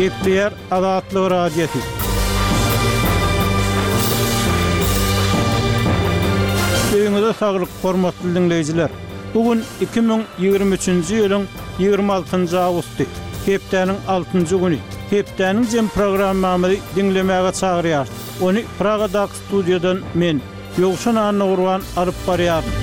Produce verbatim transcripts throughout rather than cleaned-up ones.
Gepleýär Azatlyk Radiosy. Öýüňize saglyk, hormatly diňleýjiler. Bu gün iki müň ýigrimi üçünji ýylyň ýigrimi altynjy awgusty, hepdäniň altynjy güni. Hepdäniň jem programmamyzy diňlemäge çagyrýarys. Ony Pragadaky studiýadan men, Ýowşan Annagurban alyp barýaryn.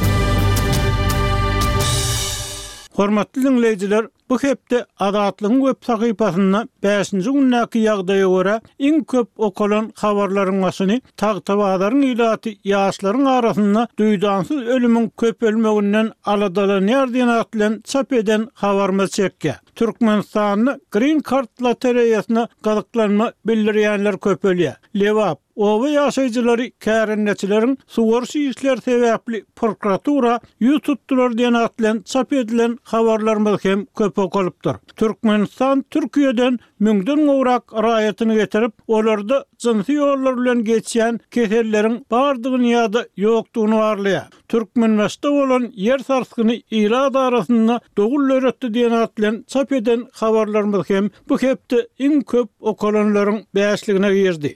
Hormatly diňleýjiler, bu hepde Azatlygyň web sahypasynda bäşinji gündäki ýagdaýa görä iň köp okalan habarlaryň başyny Tagtabazaryň ilaty ýaşlaryň arasynda duýdansyz ölümiň köpelmeginden aladalanýar diýen at bilen çap eden habarymyz çekýär. Türkmenistanda Green Card lotereýasyna gyzyklanma bildirýänler köpelýär. Lebap, oba ýaşaýjylary kärendeçileriň suwaryş işleri sebäpli prokuratura ýüz tutdular diýen at bilen çap edilen habarlarymyz hem köp okalypdyr. Türkmenistan Türkiýeden müňden gowrak raýatyny getirip, olarda jynsy ýollar bilen geçýän keselleriň bardygyny ýa-da ýokdugyny barlaýar. Türkmenbaşda bolan ýer sarsgyny ilat arasynda dogul döretdi diýen at bilen çap eden habarlarymyz hem bu hepde iň köp okalanlaryň bäşligine girdi.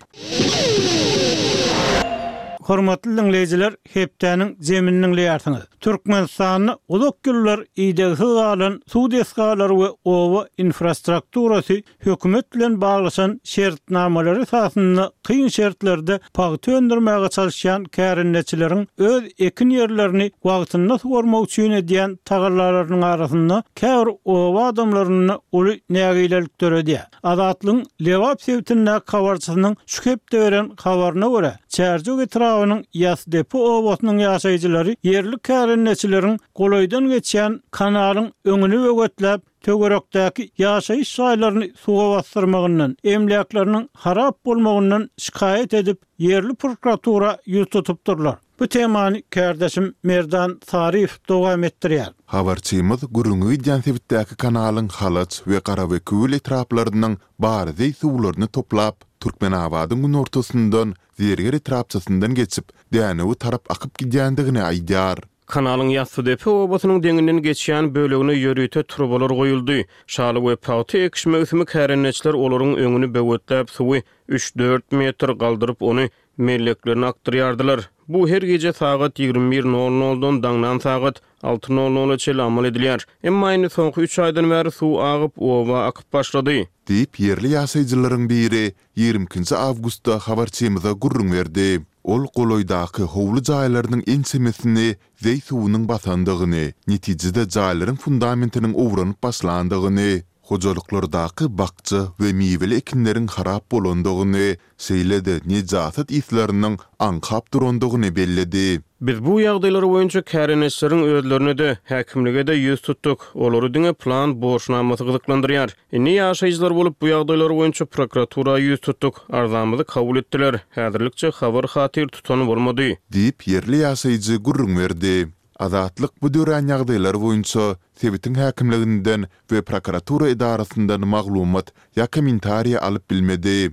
Hormatly diňleýjiler, hepdäniň zemini diňleýärsiňiz. Türkmenistanda uzak ýyllar idegsiz galan suw desgalary we oba infrastrukturasy hökümet bilen baglaşan şertnamalary esasynda kyn şertlerde pagta öndürmäge çalışýan kärendeçileriň öz ekin ýerlerini wagtynda suwarmak üçin edýän tagallalarynyň arasynda käbir oba adamlarynda uly nägilelik döredýär. Azatlygyň Lebap sebitindäki habarçysynyň şu hepde beren habaryna görä, Çärjew etrabynyň Ýasdepe obasynyň ýaşaýjylary ýerli kärendeçileriň golaýdan geçýän kanalyň öňüni böwetläp, töwerekdäki ýaşaýyş jaýlaryny suwa basdyrmagyndan, emläkleriniň harap bolmagyndan şikaýat edip, ýerli prokuratura ýüz tutupdyrlar. Bu temany kärdeşim Merdan Saryýew dowam etdirýär. Habarçymyz gürrüňi gidýän sebitdäki kanalyň Halaç we Garabekewül etraplarynyň bary zeý suwlaryny toplap, Türkmenabadyň günortasyndan Zerger etrapçasyndan geçip, Dänewe tarap akyp gidýändigini aýdýar. Kanalyň Ýassydepe obasynyň deňinden geçýän bölegine ýörite turbalar goýuldy. Şaly we pagta ekiş möwsümi kärendeçiler olaryň öňüni böwetläp, suwy üç-dört metr galdyryp, ony melleklerine akdyrýardylar. Bu her gije sagat ýigrimi bir nol noldan daňdan sagat alty nol nola çenli amal edilýär. Emma indi soňky üç aýdan bäri suw agyp, oba akyp başlady. Diýip, ýerli ýaşaýjylaryň biri ýigrimi ikinji awgustda habarçymyza gürrüň berdi. Ol golaýdaky howly jaýlarynyň ençemesini zeý suwunyň basandygyny, netijede jaýlaryň fundamentiniň owranyp başlandygyny, hojalyklardaky bakja we miweli ekinleriň harap bolandygyny, şeýle-de nejasat yslarynyň aňkap durandygyny belledi. Biz bu ýagdaýlar boýunça kärendeçileriň özlerine-de, häkimlige-de ýüz tutduk. Olary diňe plan borçnamasy gyzyklandyrýar. Indi ýaşaýjylar bolup bu ýagdaýlar boýunça prokuratura ýüz tutduk. Arzamyzy kabul etdiler. Häzirlikçe habar-hatyr tutan bolmady. Diýip, ýerli ýaşaýjy gürrüň berdi. Azatlyk bu dörän ýagdaýlar boýunça sebitiň häkimliginden we prokuratura edarasyndan maglumat ýa kommentariý alyp bilmedi.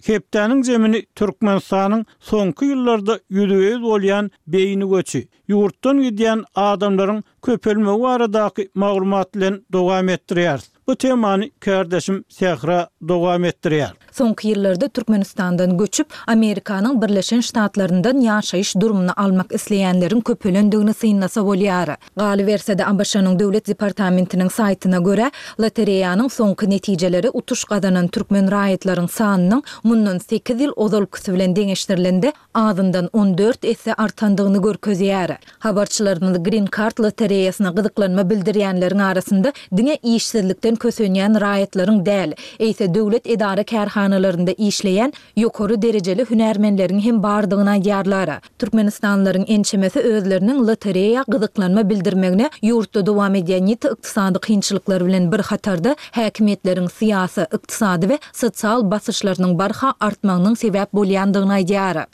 Hepdäniň zemini Türkmenistanyň soňky ýyllarda ýüzbe-ýüz bolýan beýni göçi, ýurtdan gidýän adamlaryň köpelmegi baradaky maglumat bilen dowam etdirýäris. Bu temany kärdeşim Sähra dowam etdirýär. Soňky ýyllarda Türkmenistandan göçüp, Amerikanyň Birleşen Ştatlaryndan ýaşaýyş durumyny almak isleýänleriň köpelendigini synlasa bolýar. Galyberse-de, A B Ş-nyň Döwlet departamentiniň saýtyna görä, lotereýanyň soňky netijeleri utuş gazanan türkmen raýatlaryň sanynyň mundan sekiz ýyl ozalkysy bilen deňeşdirilende azyndan on dört esse artandygyny görkezýär. Habarçylarymyz Green Card lotereýasyna gyzyklanma bildirýänleriň arasynda diňe işsizlikden kösenýän raýatlaryň däl, eýse döwlet edara-kärhanalarynda işleýän ýokary derejeli hünärmenleriň hem bardygyny aýdýarlar. Türkmenistanlylaryň ençemesi özleriniň lotereýa gyzyklanma bildirmegine ýurtda dowam edýän ýiti ykdysady kynçylyklar bilen bir hatarda häkimiýetleriň syýasy, ykdysady we sosial basyşlarynyň barha artmagynyň sebäp bolýandygyny aýdýar.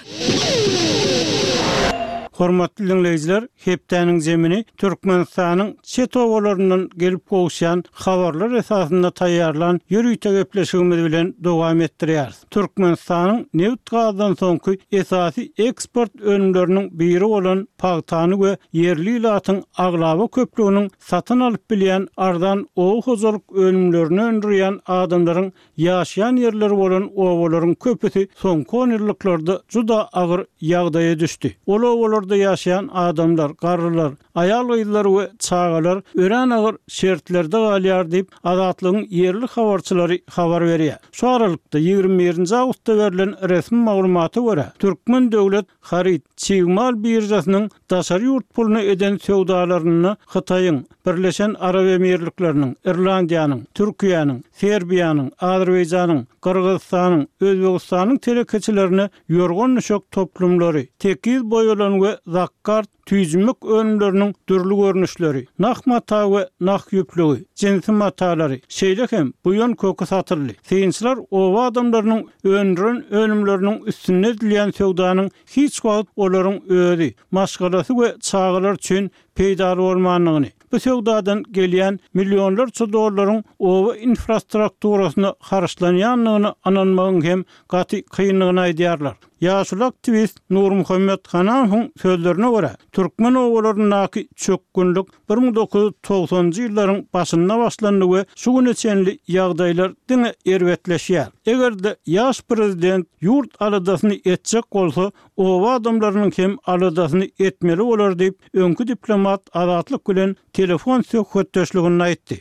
Hormatly diňleýjiler, hepdäniň zemini Türkmenistanyň çet obalaryndan gelip gowuşýan habarlar esasynda taýýarlan ýörite gepleşigimiz bilen dowam etdirýäris. Türkmenistanyň nebit-gazdan soňky esasy eksport önümleriniň biri bolan pagtany we ýerli ilatyň aglaba köplüginiň satyn alyp bilýän arzan oba hojalyk önümlerini öndürýän adamlaryň ýaşaýan ýerleri bolan obalaryň köpüsi soňky onýyllyklarda juda agyr ýagdaýa düşdi. Ol obalarda ýaşaýan adamlar, garrylar, aýal-gyzlar we çagalar örän agyr şertlerde galýar diýip, Azatlygyň ýerli habarçylary habar berýär. Şu aralykda, ýigrimi birinji awgustda berlen resmi maglumata görä, Türkmen döwlet haryt, çig mal biržasynyň daşary ýurt puluna eden söwdalarynda Hytaýyň, Birleşen Arap Emirlikleriniň, Irlandiýanyň, Türkiýäniň, Serbiýanyň, Azerbaýjanyň, Gyrgyzystanyň, Özbegistanyň telekeçilerine ýorgan-düşek toplumlary, tekiz boýalan we zakkart tüýjümek önümleriniň dürli görnüşleri, nah mata we nah ýüplügi, jinsi matalary, şeýle hem buýan köki satyldy. Synçylar oba adamlarynyň öndüren önümleriniň üstünde edilýän söwdanyň hiç wagt olaryň özi, maşgalasy we çagalary üçin peýdaly bolmandygyny, bu söwdadan gelýän millionlarça dollaryň oba infrastrukturasyna harçlanýandygyna ynanmagyň hem gaty kyndygyny aýdýarlar. Ýaşuly aktiwist Nurmuhammet Hanamowyň sözlerine görä, türkmen obalaryndaky çökgünlik bir müň dokuz ýüz togsanynjy ýyllaryň başynda başlandy we şu güne çenli ýagdaýlar diňe erbetleşýär. Eger-de ýaş prezident ýurt aladasyny etjek bolsa, oba adamlarynyň hem aladasyny etmeli bolar diýip, öňki diplomat Azatlyk bilen telefon söhbetdeşliginde aýtdy.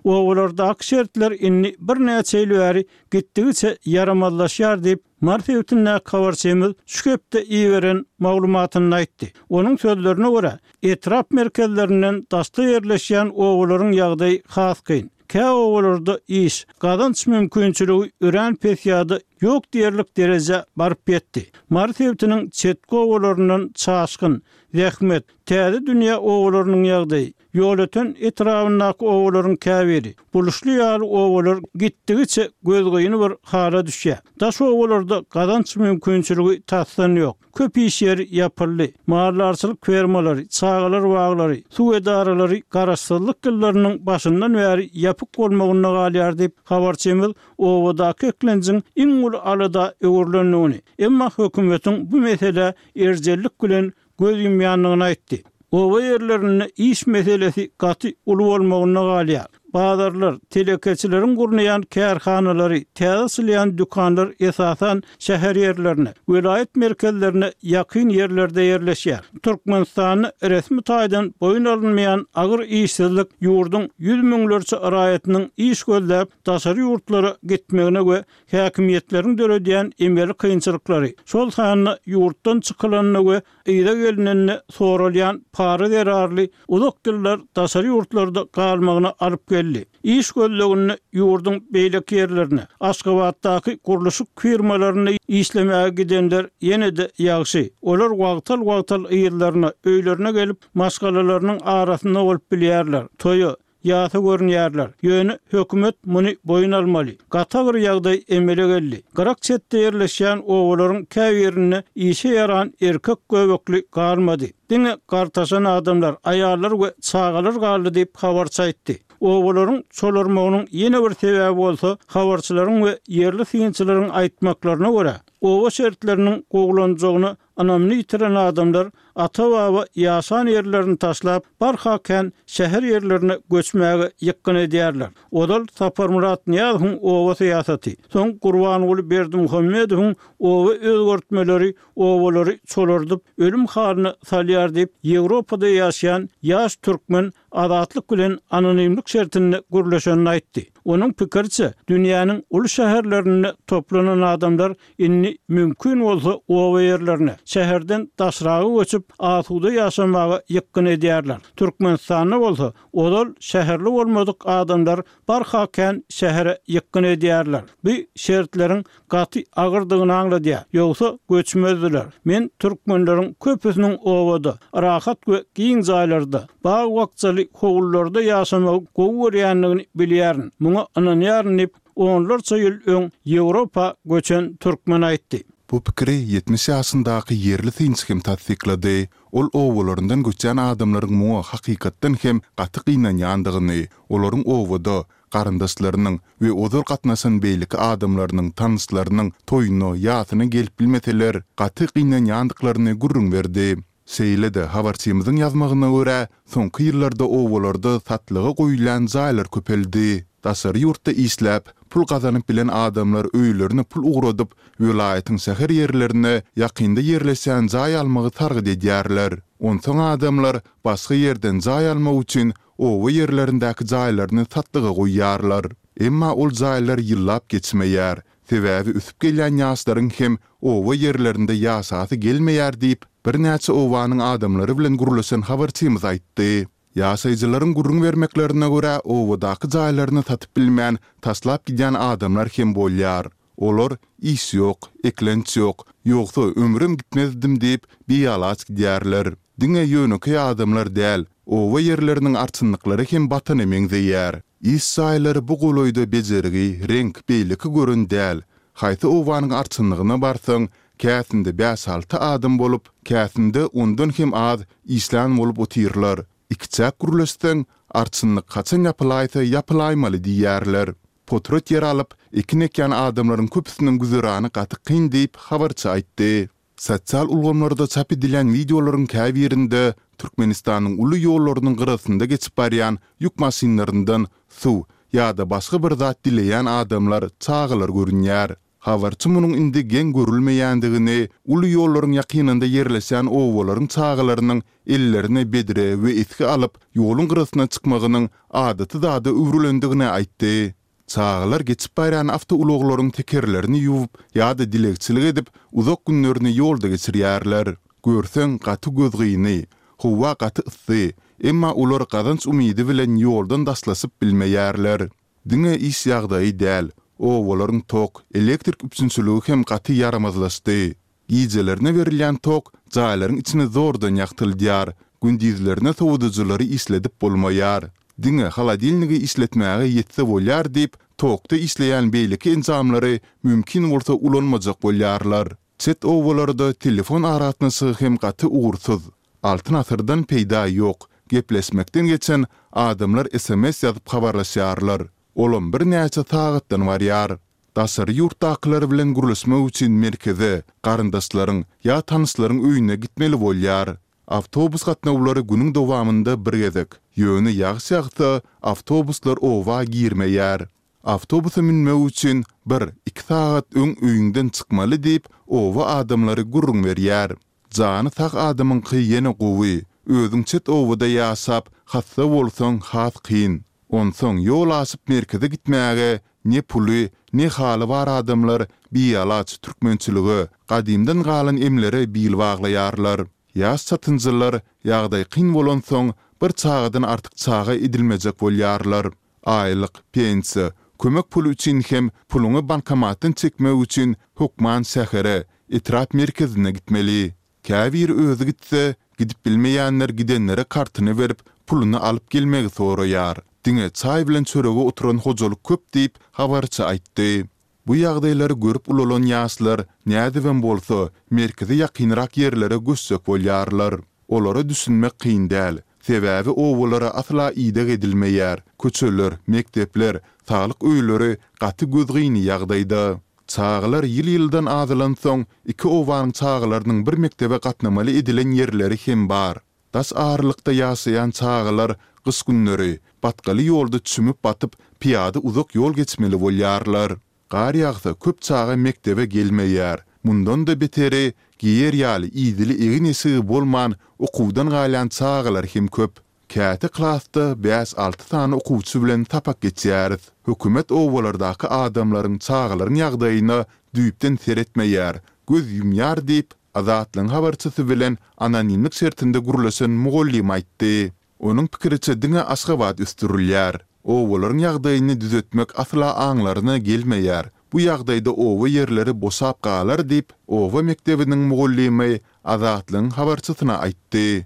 Obalardaky şertler indi birnäçe ýyl bäri gitdigiçe ýaramazlaşýar diýip, Mary sebitindäki habarçymyz şu hepde iberen maglumatynda aýtdy. Onuň sözlerine görä, etrap merkezlerinden daşda ýerleşýän obalaryň ýagdaýy has kyn. Kä obalarda iş, gazanç mümkinçiligi örän pes ýa-da ýok diýerlik derejä baryp ýetdi. Mary sebitiniň çetki obalaryndan Çaşgyn, Zähmet, Täze dünýä obalarynyň ýagdaýy, Ýolöten etrabyndaky obalaryň käbiri, Buluşly ýaly obalar gitdigiçe gözgyny bir hala düşýär. Daş obalarda gazanç mümkinçiligi tasdan ýok. Köp iş ýeri ýapyldy. Maldarçylyk fermalary, çagalar baglary, suw edaralary garaşsyzlyk ýyllarynyň başyndan bäri ýapyk bolmagynda galýar diýip, habarçymyz obadaky eklenjiň iň uly alada öwrülendigini, emma hökümetiň bu meselä erjellik bilen göz ýumýandygyny aýtdy. Oba ýerlerinde iş meselesi gaty uly bolmagynda galýar. Bazarlar, telekeçileriň gurnaýan kärhanalary, täze açylýan dükanlar esasan şäher ýerlerine, welaýat merkezlerine ýakyn ýerlerde ýerleşýär. Türkmenistanda resmi taýdan boýun alynmaýan agyr işsizlik ýurduň ýüz müňlerçe raýatynyň iş gözläp daşary ýurtlara gitmegine we häkimiýetleriň döredýän emeli kynçylyklary, şol sanda ýurtdan çykylanda we yza gelnende soralýan para zerarly uzak ýyllar daşary ýurtlarda galmagyna alyp geldi. Iş gözleginde ýurduň beýleki ýerlerine, Aşgabatdaky gurluşyk firmalarynda işlemäge gidenler ýene-de ýagşy. Olar wagtal-wagtal yzlaryna, öýlerine gelip, maşgalalarynyň arasynda bolup bilýärler, toýa, Ýasa görünýärler. Ýöne hökümet muny boýun almaly. Gaty agyr ýagdaý emele geldi. Gyrak çetde ýerleşýän obalaryň käbirinde işe ýaran erkek göbekli galmady. Diňe gartaşan adamlar, aýallar we çagalar galdy diýip, habarçy aýtdy. Obalaryň çolarmagynyň ýene bir sebäbi bolsa, habarçylaryň we ýerli synçylaryň aýtmaklaryna görä, oba şertleriniň gowulanjagyna Ynamyny ýitiren adamlar ata-baba ýaşan ýerlerini taşlap, barha kän şäher ýerlerine göçmäge ýykgyn edýärler. Ozal Saparmyrat Nyýazowyň oba syýasaty, soň Gurbanguly Berdimuhamedowyň oba özgertmeleri obalary çolardyp, ölüm halyna salýar diýip, Ýewropada ýaşaýan ýaş türkmen Azatlyk bilen anonimlik şertinde gürleşenini aýtdy. Onuň pikiriçe, dünýäniň uly şäherlerinde toplanan adamlar indi mümkin bolsa oba ýerlerine, şäherden daşraga göçüp, asuda ýaşamaga ýykgyn edýärler. Türkmenistanda bolsa, ozal şäherli bolmadyk adamlar barha kän şähere ýykgyn edýärler. Bu şertleriň gaty agyrdygyny aňladýar. Ýogsa göçmezdiler. Men türkmenleriň köpüsiniň obada, rahat we giň jaýlarda, bag-bakjaly howlularda ýaşamagy gowy görýändigini bilýärin, muňa ynanýaryn diýip, onlarça ýyl öň Ýewropa göçen türkmen aýtdy. Bu pikiri ýetmiş ýaşyndaky ýerli synçy hem tassyklady. Ol obalaryndan göçýän adamlaryň muňa hakykatdan hem gaty gynanýandygyny, olaryň obada garyndaşlarynyň we ozal gatnaşan beýleki adamlarynyň, tanyşlarynyň toýuna, ýasyna gelip bilmeseler, gaty gynanýandyklaryny gürrüň berdi. Şeýle-de, habarçymyzyň ýazmagyna görä, soňky ýyllarda obalarda satlyga goýulýan jaýlar köpeldi. Daşary ýurtda işläp, pul gazanyp bilen adamlar öýlerine pul ugradyp, welaýatyň şäher ýerlerine ýakynda ýerleşýän jaý almagy sargyt edýärler. Onsoň adamlar başga ýerden jaý almak üçin oba ýerlerindäki jaýlaryny satlyga goýýarlar. Emma ol jaýlar ýyllap geçmeýär. Sebäbi ösüp gelýän ýaşlaryň hem oba ýerlerinde ýaşasy gelmeýär diýip, birnäçe obanyň adamlary bilen gürleşen habarçymyz aýtdy. Ýaşaýjylaryň gürrüň bermeklerine görä, obadaky jaýlaryny satyp bilmän, taşlap gidýän adamlar hem bolýar. Olar, Iş ýok, eklenç ýok, ýogsa ömrüm gitmezdim diýip, bialaç gidýärler. Diňe ýönekeý adamlar däl, oba ýerleriniň arçynlyklary hem batana meňzeýär. Iş jaýlary bu golaýda bejergi, reňk, beýleki gören däl. Haýsy obanyň arçynlygyna barsaň, käsinde bäş-alty adam bolup, käsinde ondan hem az işlän bolup otyrlar. Ikiçäk gürleşseň, arçynlyk haçan ýapylaýsa ýapylaýmaly diýýärler. Potrat ýer alyp, ekin ekýän adamlaryň köpüsiniň güzerany gaty kyn diýip, habarçy aýtdy. Sosial ulgamlarda çap edilýän wideolaryň käbirinde Türkmenistanyň uly ýollarynyň gyrasynda geçip barýan ýük maşynlaryndan suw ýa-da başga bir zat dileýän adamlar, çagalar görünýär. Habarçy munuň indi geň görülmeýändigini, uly ýollaryň ýakynynda ýerleşýän obalaryň çagalarynyň ellerine bedre we esgi alyp, ýoluň gyrasyna çykmagynyň adaty zada öwrülendigini aýtdy. Çagalar geçip barýan awtoulaglaryň tekerlerini ýuwup ýa-da dilegçilik edip, uzak günlerini ýolda geçirýärler. Görseň, gaty gözgyny. Howa gaty yssy, emma olar gazanç umydy bilen ýoldan daşlaşyp bilmeýärler. Diňe iş ýagdaýy däl, obalaryň tok, elektrik üpjünçiligi hem gaty ýaramazlaşdy. Gijelerine berilýän tok jaýlaryň içini zordan ýagtyldýar, gündizlerine sowadyjylary işledip bolmaýar. Diňe holodilnigi işletmäge ýetse bolýar diýip, tokda işleýän beýleki enjamlary mümkin bolsa ulanmajak bolýarlar. Çet obalarda telefon aragatnaşygy hem gaty ugursyz. Altyn asyrdan peýda ýok, gepleşmekden geçen adamlar sms ýazyp habarlaşýarlar. Olam birnäçe sagatdan barýar. Daşary ýurtdakylar bilen gürleşmek üçin merkeze, garyndaşlaryň ýa tanyşlaryň öýüne gitmeli bolýar. Awtobus gatnawlary günüň dowamynda bir gezek, ýöne ýagyş ýagsa, awtobuslar oba girmeýär. Awtobusa münmek üçin bir, iki sagat öň öýüňden çykmaly diýip, oba adamlary gürrüň berýär. Jany sag adamyňky ýene gowy, özüň çet obada ýaşap, hassa bolsaň has kyn. Onsoň ýol aşyp merkeze gitmäge ne puly, ne haly bar adamlar bialaç türkmençilige, gadymdan galan emlere bil baglaýarlar. Ýaş çatynjylar ýagdaý kyn bolansoň, bir çagadan artyk çaga edilmejek bolýarlar. Aýlyk, pensiýa, kömek puly üçin hem puluňy bankomatdan çekmek üçin hökman şähere, etrap merkezine gitmeli. Käbiri özi gitse, gidip bilmeýänler gidenlere kartyny berip, puluny alyp gelmegi soraýar. Diňe çaý bilen çörege oturan hojalyk köp diýip, habarçy aýtdy. Bu ýagdaýlary görüp ulalan ýaşlar, nädibem bolsa, merkeze ýakynrak ýerlere göçjek bolýarlar. Olara düşünmek kyn däl. Sebäbi obalara asla ideg edilmeýär, köçeler, mekdepler, saglyk öýleri gaty gözgyny ýagdaýda. Çagalar ýyl-ýyldan azalansoň, iki obanyň çagalarynyň bir mekdebe gatnamaly edilen ýerleri hem bar. Daş aralykda ýaşaýan çagalar gyş günleri batgaly ýolda çümüp-batyp, pyýada uzak ýol geçmeli bolýarlar. Gar ýagsa köp çaga mekdebe gelmeýär. Mundan-da beteri, geýer ýaly idili egin-eşigi bolman okuwdan galýan çagalar hem köp. Käte klasda bäş-alty sany okuwçy bilen sapak geçýäris. Hökümet obalardaky adamlaryň, çagalaryň ýagdaýyna düýpden seretmeýär, göz ýumýar diýip, Azatlygyň habarçysy bilen anonimlik şertinde gürleşen mugallym aýtdy. Onuň pikiriçe diňe Aşgabat ösdürilýär. Obalaryň ýagdaýyny düzetmek asla aňlaryna gelmeýär. Bu ýagdaýda oba ýerleri boşap galar diýip, oba mekdebiniň mugallymy Azatlygyň habarçysyna aýtdy.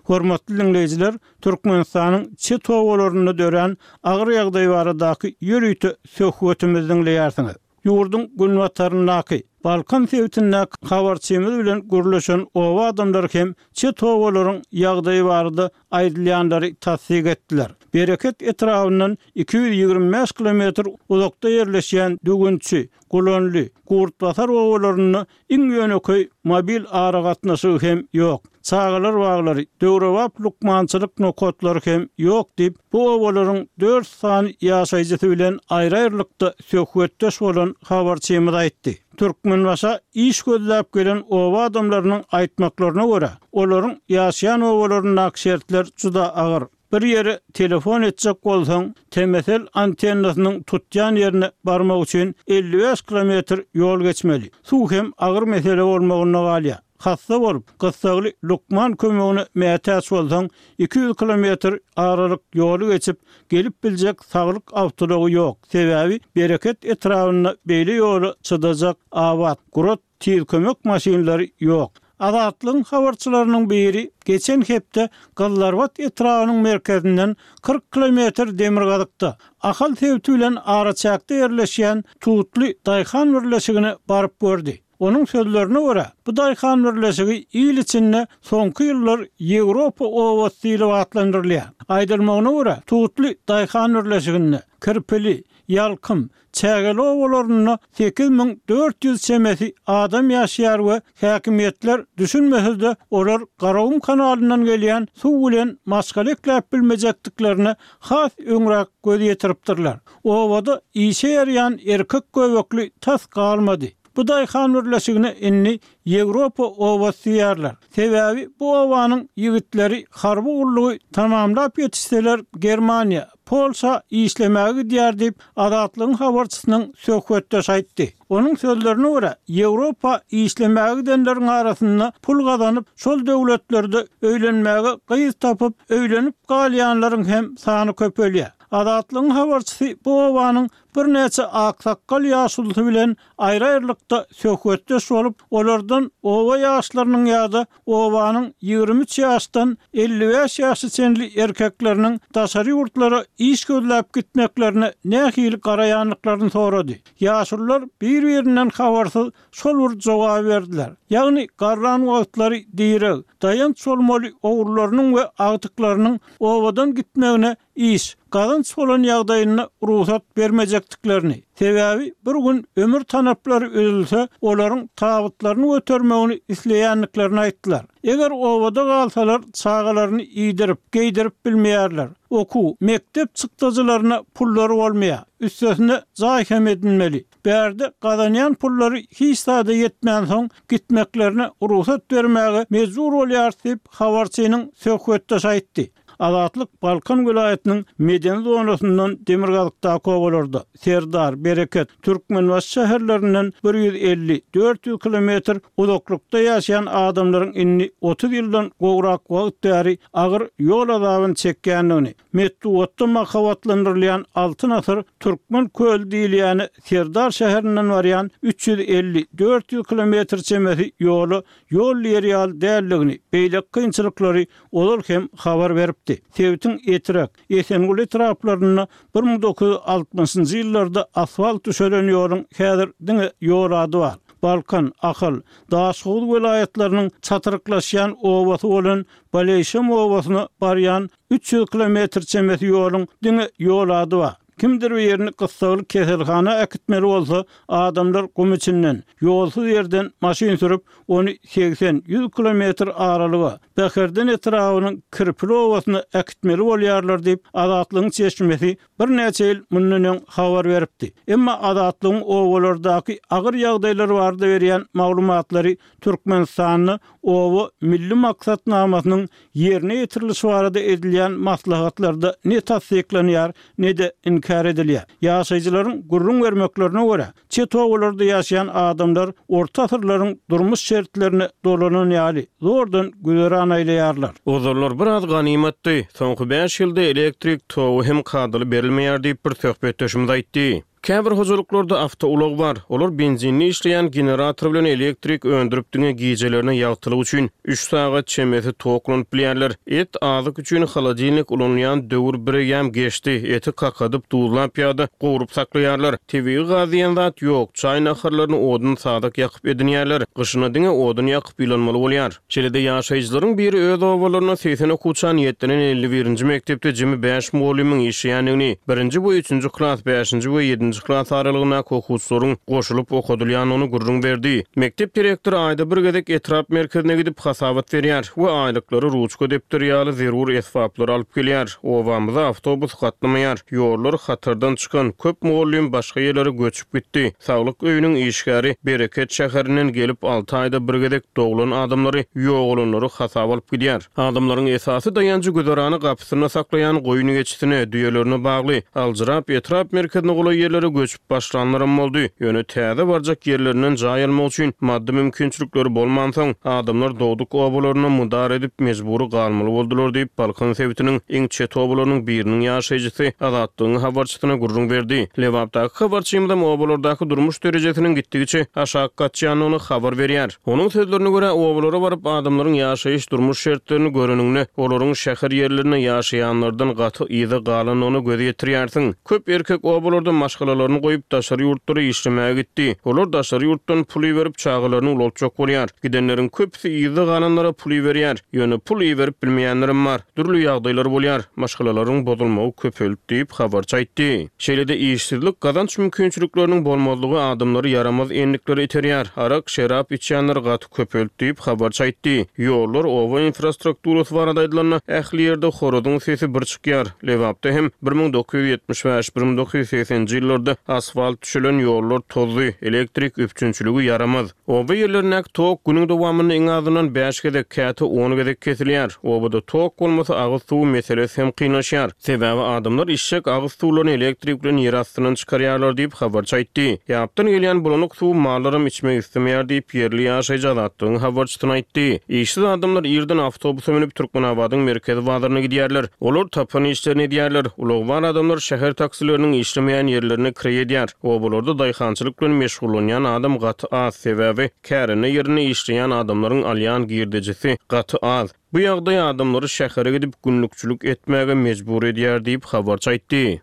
Hormatly diňleýjiler, Türkmenistanyň çet obalarynda dörän agyr ýagdaý baradaky ýörite söhbetimizi diňleýärsiňiz. Ýurduň günbataryndaky, Balkan sebitindäki habarçymyz bilen gürleşen oba adamlary hem çet obalaryň ýagdaýy barada aýdylýanlary tassyk etdiler. Bereket etrabyndan iki ýüz ýigrimi bäş kilometr uzakda ýerleşýän Düwünçi, Gulanly, Gurtbasar obalarynda iň ýönekeý mobil aragatnaşygy hem ýok. Çagalar baglary, döwrebap lukmançylyk nokatlary hem ýok diýip, bu obalaryň dört sany ýaşaýjysy bilen aýry-aýrylykda söhbetdeş bolan habarçymyz aýtdy. Türkmenbaşa iş gözläp gelen oba adamlarynyň aýtmaklaryna görä, olaryň ýaşaýan obalaryndaky şertler juda agyr. Bir ýere telefon etjek bolsaň, T M S L antennasynyň tutýan ýerine barmak üçin elli bäş kilometr ýol geçmeli. Suw hem agyr mesele bolmagynda galýar. Hassa bolup, gyssagly lukman kömegine mätäç bolsaň, iki ýüz kilometr aralyk ýoly geçip, gelip biljek saglyk awtoulagy ýok. Sebäbi Bereket etrabynda beýle ýola çydajak abat, gurat tiz kömek maşynlary ýok. Azatlygyň habarçylarynyň biri geçen hepde Gyzylarbat etrabynyň merkezinden kyrk kilometr demirgazykda, Ahal sebiti bilen araçäkde ýerleşýän Tutly daýhan birleşigine baryp gördi. Onuň sözlerine görä, bu daýhan birleşigi il içinde soňky ýyllar Ýewropa obasy diýlip atlandyrylýar. Aýdylmagyna görä, Tutly daýhan birleşiginde Kirpili, Ýalkym, Çägeli obalarynda sekiz müň dört ýüz çemesi adam ýaşaýar we häkimiýetler düşünmese-de, olar Garagum kanalyndan gelýän suw bilen maşgala ekläp bilmejekdiklerine has öňräk göz ýetiripdirler. Obada işe ýaraýan erkek göbekli tas galmady. Bu daýhan birleşigine indi Ýewropa obasy diýýärler. Sebäbi bu obanyň ýigitleri harby gullugy tamamlap ýetişseler Germaniýa, Polşa işlemäge gidýär diýip, Azatlygyň habarçysynyň söhbetdeşi aýtdy. Onuň sözlerine görä, Ýewropa işlemäge gidenleriň arasynda pul gazanyp, şol döwletlerde öýlenmäge gyz tapyp, öýlenip galýanlaryň hem sany köpelýär. Azatlygyň habarçysy bu obanyň birnäçe aksakgal ýaşulusy bilen aýry-aýrylykda söhbetdeş bolup, olardan oba ýaşlarynyň ýa-da obanyň ýigrimi üç ýaşdan elli bäş ýaşa çenli erkekleriniň daşary ýurtlara iş gözläp gitmeklerine nähili garaýandyklaryny sorady. Ýaşulular bir-birinden habarsyz şol bir jogaby berdiler. Ýagny garran wagtlary direg, daýanç bolmaly ogullarynyň we agtyklarynyň obadan gitmegine iş, gazanç bolan ýagdaýynda rugsat bermejekdiklerini, sebäbi bir gün ömür tanaplary üzülse, olaryň tabytlaryny götermegini isleýändiklerini aýtdylar. Eger obada galsalar, çagalaryny iýdirip, geýdirip bilmeýärler. Okuw, mekdep çykdajylaryna pullary bolmaýar. Üstesine jaý hem edinmeli. Bärde gazanýan pullary hiç zada ýetmänsoň, gitmeklerine rugsat bermäge mejbur bolýarys diýip, habarçynyň söhbetdeşi aýtdy. Azatlyk Balkan welaýatynyň medeni zonasyndan demirgazykdaky obalarda, Serdar, Bereket, Türkmenbaşy şäherlerinden bir ýüz elli, dört ýüz kilometr uzaklykda ýaşaýan adamlaryň indi otuz ýyldan gowrak wagt bäri agyr ýol azabyny çekýändigini, metbugatda mahabatlandyrylýan Altyn asyr Türkmen köli diýilýäni Serdar şäherinden barýan üç ýüz elli, dört ýüz kilometr çemesi ýola ýol diýer ýaly däldigini, beýleki kynçylyklary ozal hem habar beripdi. Sebitiň Etrek, Esenguly etraplarynda bir müň dokuz ýüz altmyşynjy ýyllarda asfalt düşelen ýoluň häzir diňe ýol ady bar. Balkan, Ahal, Daşoguz welaýatlarynyň çatyryklaşýan obasy bolan Baleýşem obasyna barýan üç ýüz kilometr çemesi ýoluň diňe ýol ady bar. Kimdir birini gyssagly keselhana äkitmeli bolsa, adamlar gum içinden, ýolsuz ýerden maşyn sürüp, ony segsen, ýüz kilometr aralyga, Bäherden etrabynyň Kirpili obasyna äkitmeli bolýarlar diýip, Azatlygyň çeşmesi birnäçe ýyl mundan öň habar beripdi. Emma Azatlygyň obalardaky agyr ýagdaýlar barada berýän maglumatlary Türkmenistanda oba milli maksatnamasynyň ýerine ýetirilişi barada edilýän maslahatlarda ne tassyklanýar, ne-de inkär edilýär. Ýaşaýjylaryň gürrüň bermeklerine görä, çet obalarda ýaşaýan adamlar orta asyrlaryň durmuş şertlerine dolanan ýaly, zordan güzeran aýlaýarlar. Ozallar biraz ganymatdy, soňky bäş ýylda elektrik togy hem kadaly berilmeýär diýip, bir söhbetdeşimiz aýtdy. Käbir hojalyklarda awtoulag bar. Olar benzinli işleýän generator bilen elektrik öndürip diňe gijelerine ýagtylyk üçin üç sagat çemesi toklanyp bilýärler. Et azyk üçin holodilnik ulanylýan döwür bireýýäm geçdi. Eti kakadyp, duzlap ýa-da gowrup saklaýarlar. Tebigy gaz diýen zat ýok. Çaý naharlaryny odun sadak ýakyp edinýärler. Gyşyna diňe odun ýakyp ýylanmaly bolýar. Şeýle-de ýaşaýjylaryň biri öz obalarynda segsen okuwça niýetlenen elli birinji mekdepde jemi bäş mugallymyň işleýändigini, birinji we üçünji klas, bäşinji we ýedinji klas aralygyndaky okuwçylaryň goşulyp okadylýandygyny gürrüň berdi. Mekdep direktory aýda bir gezek etrap merkezine gidip hasabat berýär we aýlyklary ruçka depder ýaly zerur esbaplary alyp gelýär. Obamyza awtobus gatnamaýar, ýollar hatardan çykan, köp mugallym başga ýerlere göçüp gitdi. Saglyk öýüniň işgäri Bereket şäherinden gelip alty aýda bir gezek doglan adamlary, ýogalanlary hasaba alyp gidýär. Adamlaryň esasy daýanjy güzerany gapysynda saklaýan goýun geçisine, düýelerine bagly. Aljyrap etrap merkezine golaý ýerlere göçüp başlanlaram boldy. Ýöne täze barjak ýerlerinden jaý almak üçin maddy mümkinçilikleri bolmansoň, adamlar dogduk obalarynda mydar edip mejbury galmaly boldular diýip, Balkan sebitiniň iň çet obalarynyň biriniň ýaşaýjysy Azatlygyň habarçysyna gürrüň berdi. Lebapdaky habarçymyzam obalardaky durmuş derejesiniň gitdigiçe aşak gaçýandygyny habar berýär. Onuň sözlerine görä, obalara baryp adamlaryň ýaşaýyş durmuş şertlerini göreninde, olaryň şäher ýerlerinde ýaşaýanlardan gaty yza galandygyna göz ýetirýärsiň. Köp erkek obalarda maşgalalaryny goýup daşary ýurtlara işlemäge gitdi. Olar daşary ýurtdan pul iberip çagalaryny ulaltjak bolýar. Gidenleriň köpüsi yzda galanlara pul iberýär. Ýöne pul iberip bilmeýänlerem bar. Dürli ýagdaýlar bolýar. Maşgalalaryň bozulmagy köpeldi diýip habarçy aýtdy. Şeýle-de işsizlik, gazanç mümkinçilikleriniň bolmazlygy adamlary ýaramaz endiklere iterýär. Arak, şerap içýänler gaty köpeldi diýip habarçy aýtdy. Ýollar, oba infrastrukturasy barada aýdylanda, ähli ýerde horazyň sesi bir çykýar. Lebapda hem bir müň dokuz ýüz ýetmiş bäş, bir müň dokuz ýüz segseninji ýyllarda asfalt düşelen ýollar tozdy, elektrik üpjünçiligi ýaramaz. Oba ýerlerindäki tok günüň dowamynda iň azyndan bäş gezek, käte on gezek kesilýär. Obada tok bolmasa agyz suwy meselesi hem kynlaşýar. Sebäbi adamlar içjek agyz suwlaryny elektrik bilen ýer astyndan çykarýarlar diýip habarçy aýtdy. Ýapdan gelýän bulanyk suwy mallaram içmek islemeýär diýip ýerli ýaşaýjy Azatlygyň habarçysyna aýtdy. Işsiz adamlar irden awtobusa münüp Türkmenabadyň merkezi bazaryna gidýärler. Olar tapan işlerini edýärler. Ulagy bar adamlar şäher taksileriniň işlemeýän ýerlerine kireý edýär. Obalarda daýhançylyk bilen meşgullanýan adam gaty az, sebäbi kärende ýerinde işleýän adamlaryň alýan girdejisi gaty az. Bu ýagdaý adamlary şähere gidip günlükçilik etmäge mejbur edýär diýip habarçy aýtdy.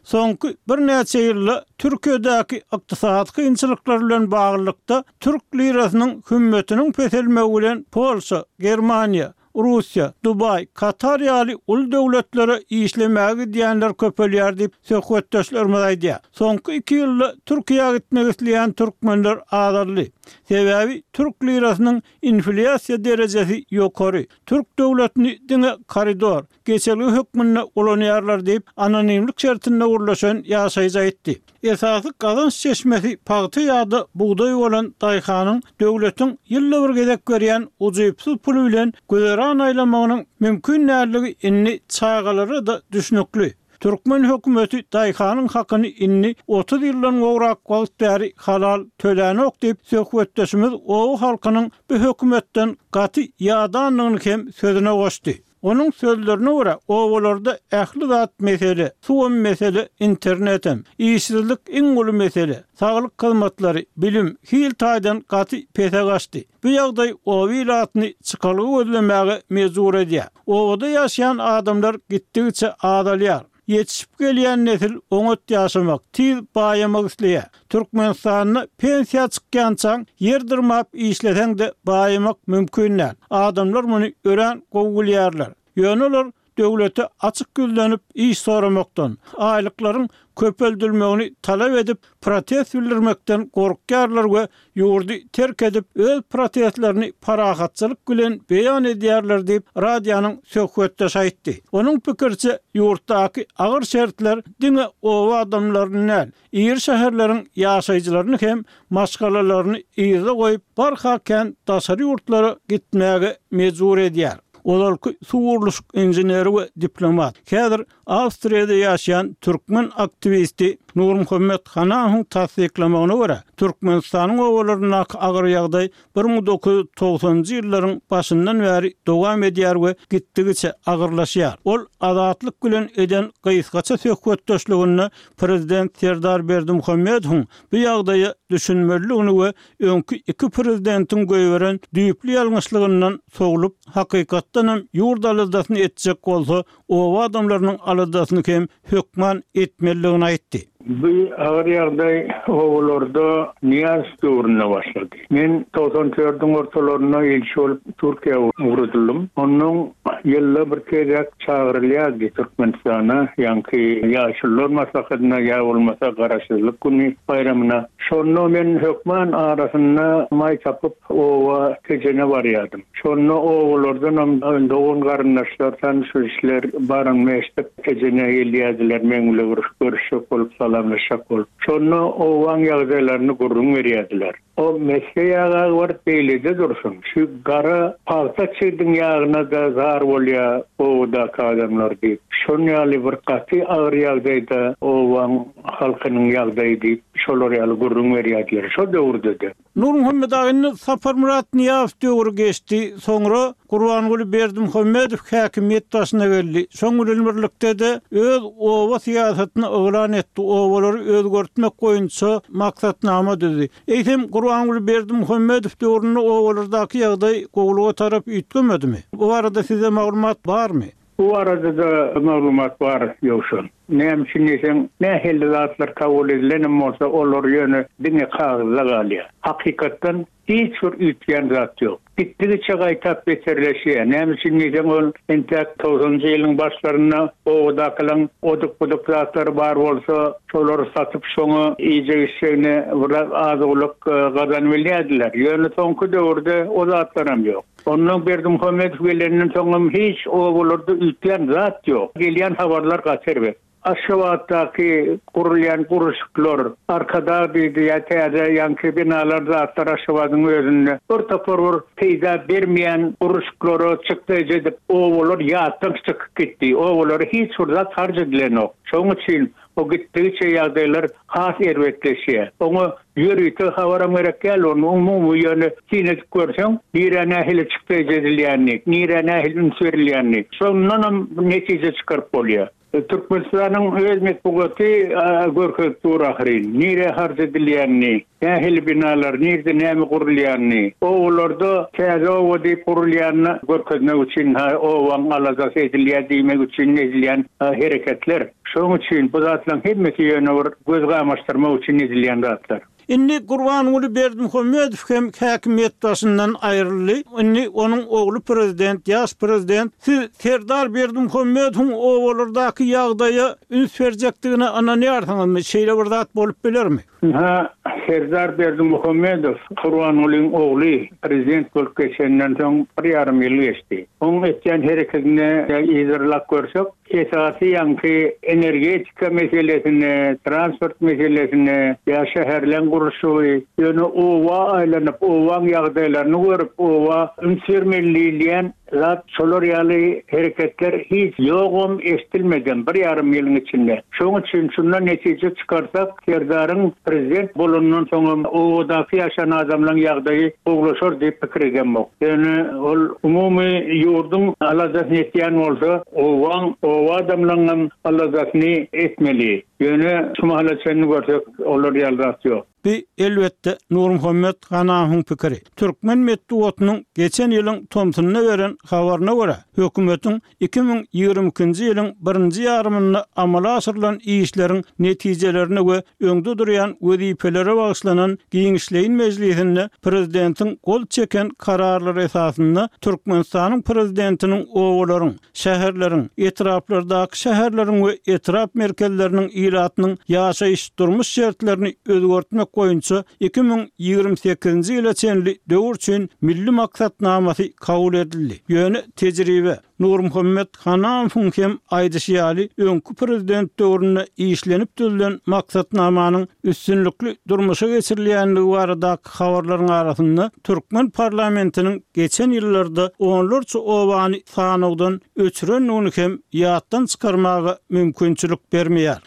Soňky birnäçe ýylda Türkiýedäki ykdysady kynçylyklar bilen baglylykda türk lirasynyň hümmetiniň peselmegi bilen Polşa, Germaniýa, Russiýa, Dubaý, Katar ýaly uly döwletlere işlemäge gidýänler köpelýär diýip söhbetdeşlerimiz aýdýar. Soňky iki ýylda Türkiýä gitmek isleýän türkmenler azaldy. Sebäbi türk lirasynyň inflýasiýa derejesi ýokary. Türk döwletini diňe koridor, geçelge hökmünde ulanýarlar diýip, anonimlik şertinde gürleşen ýaşaýjy aýtdy. Esasy gazanç çeşmesi pagta ýa-da bugdaý bolan daýhanyň döwletiň ýylda bir gezek berýän ujypsyz puly bilen güzeran aýlamagynyň mümkin däldigi indi çagalara-da düşnükli. Türkmen hökümeti daýhanyň hakyny indi otuz ýyldan gowrak wagt bäri halal tölänok diýip, söhbetdeşimiz oba halkynyň bu hökümetden gaty ýadandygyny hem sözüne goşdy. Onuň sözlerine görä, obalarda ähli zat mesele, suwam mesele, internetem, işsizlik iň uly mesele, saglyk hyzmatlary, bilim, hil taýdan gaty pese gaçdy. Bu ýagdaý oba ilatyny çykalga gözlemäge mejbur edýär. Obada ýaşaýan adamlar gitdigiçe azalýar. Ýetişip gelýän nesil oňat ýaşamak, tiz baýamak isleýär. Türkmenistanda pensiýa çykýançaň ýer dyrmap işleseň-de baýamak mümkin däl. Adamlar muny örän gowy bilýärler. Ýöne olar döwlete açyk ýüzlenip iş soramakdan, aýlyklaryň köpeldilmegini talap edip protest bildirmekden gorkýarlar we ýurdy terk edip öz protestlerini parahatçylyk bilen beýan edýärler diýip radionyň söhbetdeşi aýtdy. Onuň pikiriçe, ýurtdaky agyr şertler diňe oba adamlaryny däl, iri şäherleriň ýaşaýjylaryny hem maşgalalaryny yzda goýup barha kän daşary ýurtlara gitmäge mejbur edýär. Ozalky suw gurluşyk inženeri we diplomat, häzir Awstriýada ýaşaýan türkmen aktiwisti Nurmuhammet Hanamowyň tassyklamagyna görä, Türkmenistanyň obalaryndaky agyr ýagdaý bir müň dokuz ýüz togsanynjy ýyllaryň başyndan bäri dowam edýär we gitdigiçe agyrlaşýar. Ol Azatlyk bilen eden gysgaça söhbetdeşliginde prezident Serdar Berdimuhamedowyň bu ýagdaýa düşünmelidigini we öňki iki prezidentiň goýberen düýpli ýalňyşlygyndan sowlup, hakykatdanam ýurt aladasyny etjek bolsa, oba adamlarynyň aladasyny hem hökman etmelidigini aýtdy. Bu agyr ýagdaý obalarda Nyýazow döwründe başlady. Men togsan dördüň ortalarynda ilçi bolup Türkiýä ugradylym. Ondan ýylda bir gezek çagyrylýardy Türkmenistana, ýaňky ýaşulular maslahatyna ýa bolmasa Garaşsyzlyk güni baýramyna. Şonda men hökman arasynda maý tapyp oba Tejene barýardym. Şonda obalardanam dogan-garyndaşlar, tanyş-bilişler baranymy eşidip Tejene gelýärdiler, meň bilen bir görüşjek bolup, salamlaşjak bolup. Şonda obaň ýagdaýlaryny gürrüň berýärdiler. O mesge ýagy baryp beýlede dursun. Şu gara pagta çigdiň ýagyna-da zar bolýar obadaky adamlar diýip. Şon ýaly bir gaty agyr ýagdaýda obaň halkynyň ýagdaýy diýip, şolar ýaly gürrüň berýärdiler şo döwürde-de. Nurmuhammet aga, indi Saparmyrat Nyýazow döwri geçdi, soňra Gurbanguly Berdimuhamedow häkimiýet başyna geldi. Şoň bilen birlikde-de öz oba syýasatyny yglan etdi, obalary özgertmek boýunça maksatnama düzdi. Eýsem, Gurbanguly Berdimuhamedow döwründe obalardaky ýagdaý gowulyga tarap üýtgemedimi? Bu barada sizde maglumat barmy? Bu barada-da maglumat bar, Ýowşan. Näme üçin diýseň, nähili zatlar kabul edilenem bolsa, olar ýöne diňe kagyzda galýar. Hakykatdan hiç bir üýtgän zat ýok. Gitdigiçe gaýtap beterleşýär. Näme üçin diýseň, ol entäk togsanynjy ýylyň başlarynda obadakylaryň oduk-buduk zatlary bar bolsa, şolary satyp, şoňa iýjek-içjegine biraz az-owlak gazanyp bilýärdiler. Ýöne soňky döwürde o zatlaram ýok. Ondan Berdimuhamedow gelenden soňam hiç obalarda üýtgän zat ýok. Gelýän habarlar gaty erbet. Aşgabatdaky gurulýan gurluşyklar, Arkadag diýdi ýa täze ýaňky binalar zatlar Aşgabadyň özünde bir topar bir peýda bermeýän gurluşyklara çykdaýjy edip obalar ýatdan çykyp gitdi. Obalara hiç bir zat harç edilenok. Şonuň üçin o gitdigiçe ýagdaýlar has erbetleşýär. Oňa ýörite habaram gerek däl, ony umumy ýöne syn edip görseň, nirä nähili çykdaýjy edilýänini, nirä nähili üns berilýänini, şondanam netije çykaryp bolýar. Türkmenistanyň öz metbugaty görkezip dur ahyryn, nirä harç edilýänini, nähili binalar, nirde näme gurulýanyny, obalarda täze oba diýip gurulýanyny görkezmek üçin, ha, obaň aladasy edilýär diýmek üçin edilýän hereketler. Şonuň üçin bu zatlaryň hemmesi ýöne bir göz gamaşdyrmak üçin edilýän zatlar. Indi Gurbanguly Berdimuhamedow hem häkimiýet başyndan aýryldy. Indi onuň ogly prezident, ýaş prezident. Siz Serdar Berdimuhamedowyň obalardaky ýagdaýa üns berjekdigine ynanýarsyňyzmy? Şeýle bir zat bolup bilermi? Ynha, Serdar Berdimuhamedow Gurbangulyň ogly prezident bolup geçenden soň bir ýarym ýyl geçdi. Onuň etýän hereketini yzarlap görsek, esasy ýaňky energetika meselesini, transport meselesini, ýa şäherleň gurluşygy, ýöne oba aýlanyp, obaň ýagdaýlaryny görüp, oba üns bermeli diýilýän zat, şolar ýaly hereketler hiç ýogam, eşidilmedem bir ýarym ýylyň içinde. Şonuň üçin şundan netije çykarsak, Serdaryň prezident bolandan soňam obadaky ýaşan adamlaryň ýagdaýy gowulaşar diýip pikir edemok. Ýöne ol umumy ýurduň aladasyny etýän bolsa, obaň, oba adamlaryňam aladasyny etmeli. Ýöne şu mahala çenli görsek, olar ýaly zat ýok. Bu elbetde Nurmuhammet Hanamowyň pikiri. Türkmen metbugatynyň geçen ýylyň tomsunda beren habaryna görä, hökümetiň iki müň ýigrimi ikinji ýylyň birinji ýarymynda amala aşyrylan işleriň netijelerine we öňde durýan wezipelere bagyşlanan giňişleýin mejlisinde prezidentiň gol çeken kararlary esasynda Türkmenistanyň prezidentiniň obalaryň, şäherleriň, etraplardaky şäherleriň we etrap merkezleriniň ilatynyň ýaşaýyş-durmuş şertlerini özgertmek boýunça iki müň ýigrimi sekizinji ýyla çenli döwür üçin milli maksatnamasy kabul edildi. Ýöne tejribe, Nurmuhammet Hanamowyň hem aýdyşy ýaly, öňki prezident döwründe işlenip düzülen maksatnamanyň üstünlikli durmuşa geçirilýändigi baradaky habarlaryň arasynda türkmen parlamentiniň geçen ýyllarda onlarça obany sanawdan öçürendigini hem ýatdan çykarmaga mümkinçilik bermeýär.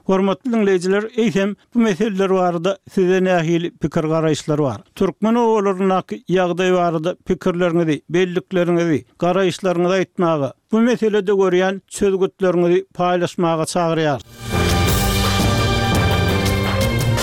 Hormatly diňleýjiler, eýsem bu meseleler barada size nähili pikir-garaýyşlar bar? Türkmen obalaryndaky ýagdaý barada pikirleriňizi, bellikleriňizi, garaýyşlaryňyzy aýtmaga, bu meselede görýän çözgütleriňizi paýlaşmaga çagyrýar.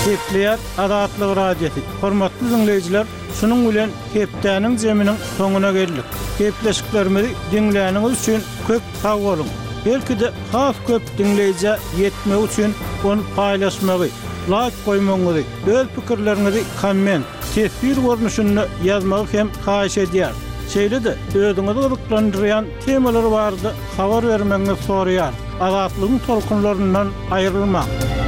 Gepleýär Azatlyk Radiosy. Hormatly diňleýjiler, şunuň bilen hepdäniň zeminiň soňuna geldik. Gepleşiklerimizi diňläniňiz üçin köp sag boluň. Belki-de has köp diňleýjä ýetmegi üçin ony paýlaşmagy, laýk goýmagyňyzy, öz pikirleriňizi komment, teswir görnüşinde ýazmagy hem haýyş edýär. Şeýle-de özüňizi gyzyklandyrýan temalar barada habar bermegiňizi soraýar. Azatlygyň tolkunlaryndan aýrylmaň.